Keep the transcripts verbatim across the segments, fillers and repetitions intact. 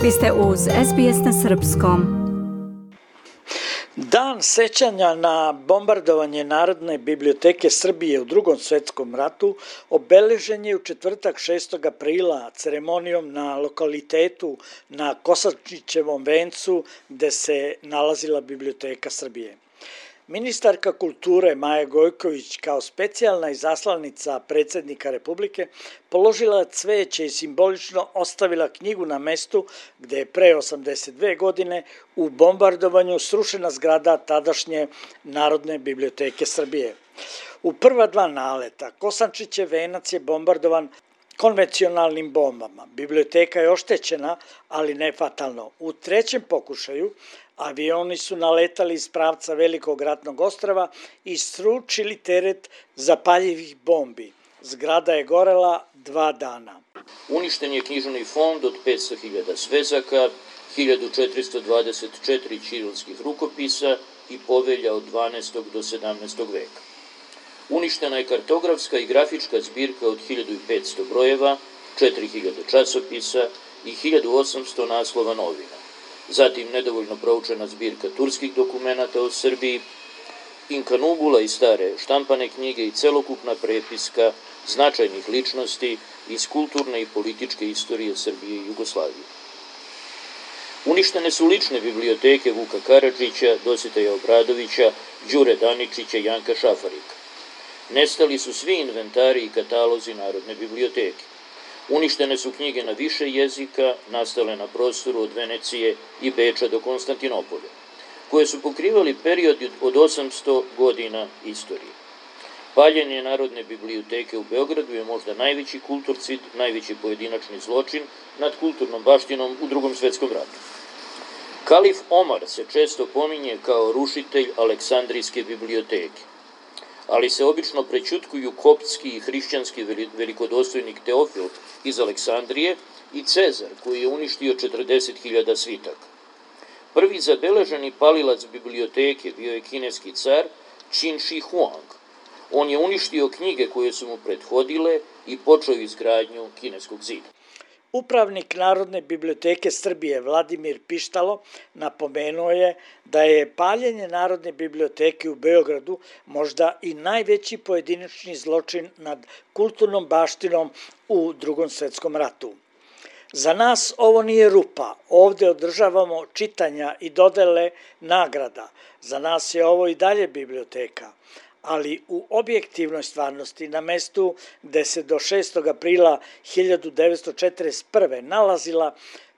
Vi ste uz S B S na srpskom. Dan sećanja na bombardovanje Narodne biblioteke Srbije u Drugom svetskom ratu obeležen je u četvrtak šestog aprila ceremonijom na lokalitetu na Kosančićevom vencu gde se nalazila Biblioteka Srbije. Ministarka kulture Maja Gojković kao specijalna izaslanica predsjednika Republike položila cveće i simbolično ostavila knjigu na mestu gde je pre osamdeset dve godine u bombardovanju srušena zgrada tadašnje Narodne biblioteke Srbije. U prva dva naleta Kosančićev venac je bombardovan konvencionalnim bombama. Biblioteka je oštećena, ali ne fatalno. U trećem pokušaju avioni su naletali iz pravca Velikog ratnog ostrva i sručili teret zapaljivih bombi. Zgrada je gorela dva dana. Uništen je književni fond od petsto hiljada svezaka, hiljadu četiristo dvadeset četiri ćirilskih rukopisa i povelja od dvanaestog do sedamnaestog veka. Uništena je kartografska i grafička zbirka od hiljadu petsto brojeva, četiri hiljade časopisa i hiljadu osamsto naslova novina. Zatim nedovoljno proučena zbirka turskih dokumenata o Srbiji, inkanubula i stare štampane knjige i celokupna prepiska značajnih ličnosti iz kulturne i političke istorije Srbije i Jugoslavije. Uništene su lične biblioteke Vuka Karadžića, Dositeja Obradovića, Đure Daničića i Janka Šafarika. Nestali su svi inventari i katalozi Narodne biblioteke. Uništene su knjige na više jezika, nastale na prostoru od Venecije i Beča do Konstantinopolja, koje su pokrivali period od osamsto godina istorije. Paljenje Narodne biblioteke u Beogradu je možda najveći kulturcid, najveći pojedinačni zločin nad kulturnom baštinom u Drugom svetskom ratu. Kalif Omar se često pominje kao rušitelj Aleksandrijske biblioteke, ali se obično prećutkuju koptski i hrišćanski velikodostojnik Teofil iz Aleksandrije i Cezar, koji je uništio četrdeset hiljada svitaka. Prvi zabeleženi palilac biblioteke bio je kineski car Qin Shi Huang. On je uništio knjige koje su mu prethodile i počeo izgradnju kineskog zida. Upravnik Narodne biblioteke Srbije Vladimir Pištalo napomenuo je da je paljenje Narodne biblioteke u Beogradu možda i najveći pojedinačni zločin nad kulturnom baštinom u Drugom svetskom ratu. Za nas ovo nije rupa, ovde održavamo čitanja i dodele nagrada. Za nas je ovo i dalje biblioteka. Ali u objektivnoj stvarnosti na mestu gde se do šestog aprila hiljadu devetsto četrdeset prve nalazila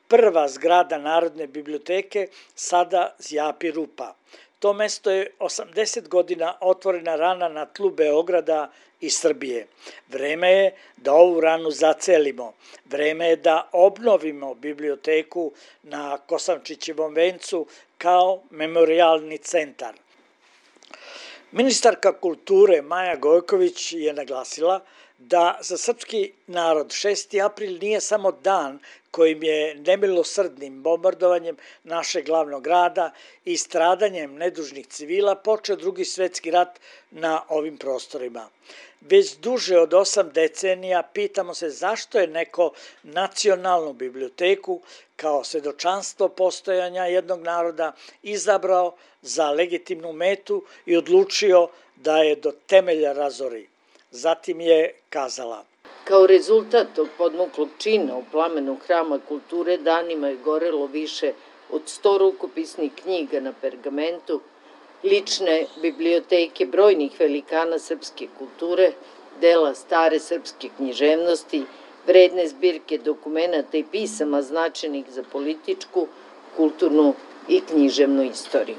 prva zgrada Narodne biblioteke sada zjapi rupa. To mesto je osamdeset godina otvorena rana na tlu Beograda i Srbije. Vreme je da ovu ranu zacelimo. Vreme je da obnovimo biblioteku na Kosančićevom vencu kao memorijalni centar. Ministarka kulture Maja Gojković je naglasila da za srpski narod šesti april nije samo dan kojim je nemilosrdnim bombardovanjem našeg glavnog grada i stradanjem nedužnih civila počeo Drugi svetski rat na ovim prostorima. Već duže od osam decenija pitamo se zašto je neko nacionalnu biblioteku kao svedočanstvo postojanja jednog naroda izabrao za legitimnu metu i odlučio da je do temelja razori. Zatim je kazala: Kao rezultat tog podmuklog čina u plamenu Hrama kulture danima je gorelo više od sto rukopisnih knjiga na pergamentu, lične biblioteke brojnih velikana srpske kulture, dela stare srpske književnosti, vredne zbirke dokumenata i pisama značajnih za političku, kulturnu i književnu istoriju.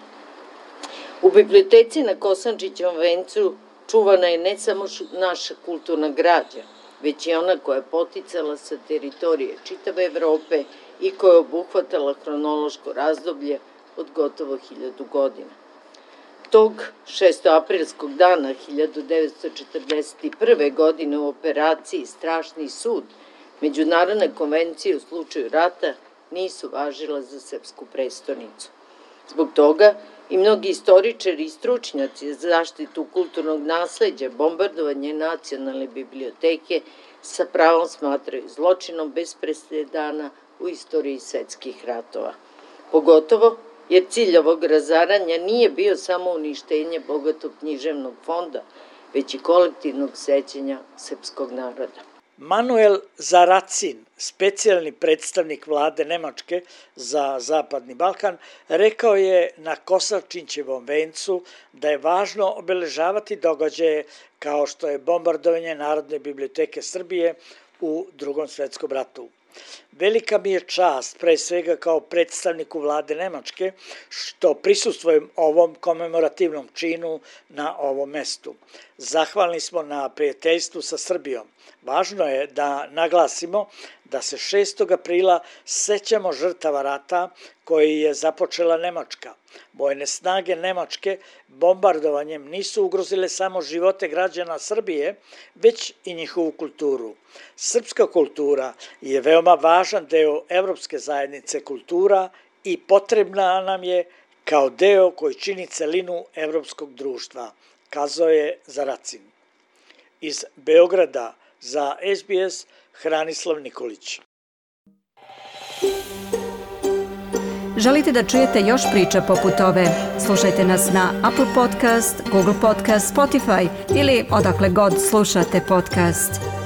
U biblioteci na Kosančićevom vencu čuvana je ne samo naša kulturna građa, već i ona koja je poticala sa teritorije čitave Evrope i koja je obuhvatala hronološko razdoblje od gotovo hiljadu godina. Tog šestoaprilskog dana hiljadu devetsto četrdeset prve. godine u operaciji Strašni sud Međunarodne konvencije u slučaju rata nisu važila za srpsku prestonicu. Zbog toga i mnogi istoričari i stručnjaci za zaštitu kulturnog nasleđa bombardovanje Nacionalne biblioteke sa pravom smatraju zločinom bez presedana u istoriji svetskih ratova. Pogotovo jer cilj ovog razaranja nije bio samo uništenje bogatog književnog fonda, već i kolektivnog sećanja srpskog naroda. Manuel Zaracin, specijalni predstavnik vlade Nemačke za Zapadni Balkan, rekao je na Kosavčinćevom vencu da je važno obeležavati događaje kao što je bombardovanje Narodne biblioteke Srbije u Drugom svetskom ratu. Velika mi je čast, pre svega kao predstavniku vlade Nemačke, što prisustvujem ovom komemorativnom činu na ovom mestu. Zahvalni smo na prijateljstvu sa Srbijom. Važno je da naglasimo da se šestog aprila sećamo žrtava rata koji je započela Nemačka. Vojne snage Nemačke bombardovanjem nisu ugrozile samo živote građana Srbije, već i njihovu kulturu. Srpska kultura je veoma važan deo evropske zajednice kultura i potrebna nam je kao deo koji čini celinu evropskog društva, kazao je Zaracin. Iz Beograda za S B S Hranislav Nikolić. Želite da čujete još priča poput ove? Slušajte nas na Apple Podcast, Google Podcast, Spotify ili odakle god slušate podcast.